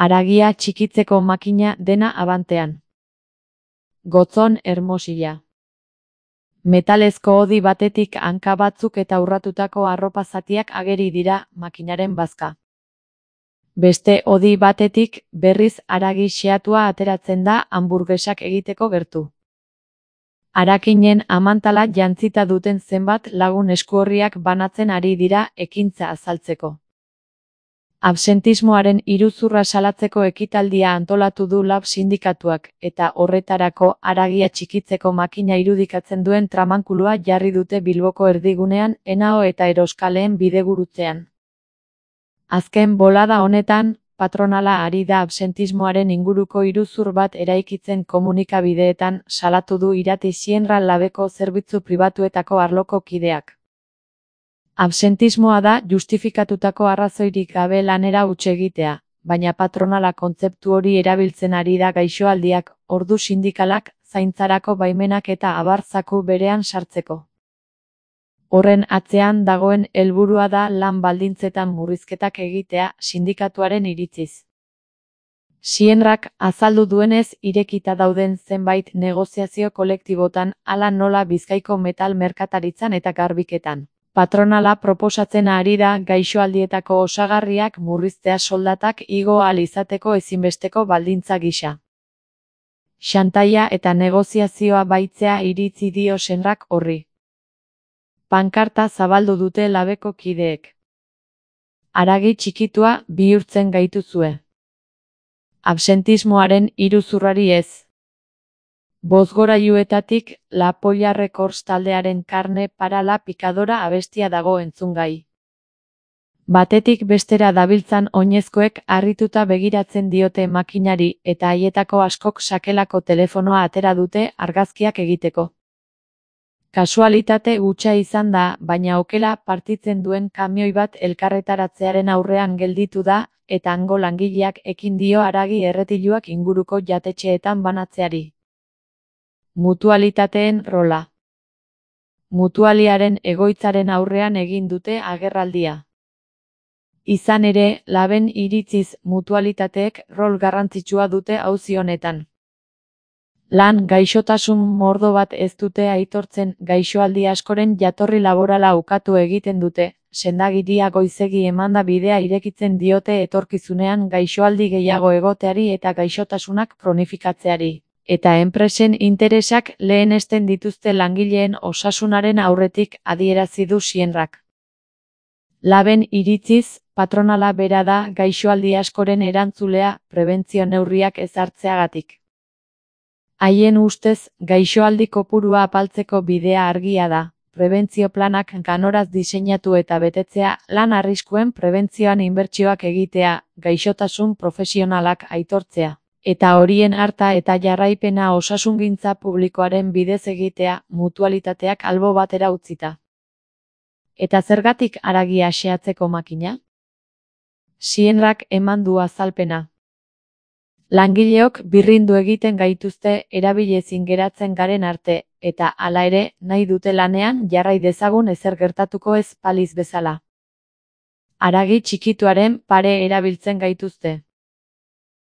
Haragia txikitzeko makina dena abantean. Gotzon Hermosilla. Metalezko hodi batetik hanka batzuk eta urratutako arropa zatiak ageri dira makinaren bazka. Beste hodi batetik berriz haragi xehatua ateratzen da hanburgesak egiteko gertu. Harakinen amantala jantzita duten zenbat lagun eskuorriak banatzen ari dira ekintza azaltzeko. Absentismoaren iruzurra salatzeko ekitaldia antolatu du LAB sindikatuak, eta horretarako haragia txikitzeko makina irudikatzen duen tramankulua jarri dute Bilboko erdigunean Henao eta Eroskaleen bidegurutzean. Azken bolada honetan, patronala ari da absentismoaren inguruko iruzur bat eraikitzen komunikabideetan salatu du Irati Xienra Labeko zerbitzu pribatuetako arloko kideak. Absentismoa da justifikatutako arrazoirik gabe lanera huts egitea, baina patronala kontzeptu hori erabiltzen ari da gaixoaldiak, ordu sindikalak, zaintzarako baimenak eta abar zaku berean sartzeko. Horren atzean dagoen helburua da lan baldintzetan murrizketak egitea sindikatuaren iritziz. Xienrak azaldu duenez irekita dauden zenbait negoziazio kolektibotan hala nola Bizkaiko metal merkataritzan eta garbiketan. Patronala proposatzen ari da gaixoaldietako osagarriak murriztea soldatak igo ahal izateko ezinbesteko baldintza gisa. Xantaia eta negoziazioa baitzea iritzi dio Xienrak horri. Pankarta zabaldu dute Labeko kideek. Haragi txikitua bihurtzen gaituzue. Absentismoaren iruzurrari ez. Bozgorailuetatik La Polla Records taldearen Karne para la Picadora abestia dago entzungai. Batetik bestera dabiltzan oinezkoek harrituta begiratzen diote makinari eta haietako askok sakelako telefonoa atera dute argazkiak egiteko. Kasualitate hutsa izan da, baina okela partitzen duen kamioi bat elkarretaratzearen aurrean gelditu da, eta hango langileak ekin dio haragi erretiluak inguruko jatetxeetan banatzeari. Mutualitateen rola. Mutualiaren egoitzaren aurrean egin dute agerraldia. Izan ere, Laben iritziz mutualitateek rol garrantzitsua dute auzi honetan. Lan gaixotasun mordo bat ez dute aitortzen gaixoaldi askoren jatorri laborala ukatu egiten dute, sendagiria goizegi emanda bidea irekitzen diote etorkizunean gaixoaldi gehiago egoteari eta gaixotasunak kronifikatzeari. Eta enpresen interesak lehenesten dituzte langileen osasunaren aurretik adierazi du Xienrak. Laben iritziz, patronala bera da gaixoaldi askoren erantzulea prebentzio neurriak ezartzeagatik. Haien ustez, gaixoaldi kopurua apaltzeko bidea argia da, prebentzio planak ganoraz diseinatu eta betetzea, lan arriskuen prebentzioan inbertsioak egitea, gaixotasun profesionalak aitortzea. Eta horien harta eta jarraipena osasungintza publikoaren bidez egitea, mutualitateak albo batera utzita. Eta zergatik haragia xehatzeko makina? Xienrak eman du azalpena. Langileok birrindu egiten gaituzte erabilezin geratzen garen arte, eta hala ere, nahi dute lanean jarrai dezagun ezer gertatuko ez baliz bezala. Haragi txikituaren pare erabiltzen gaituzte.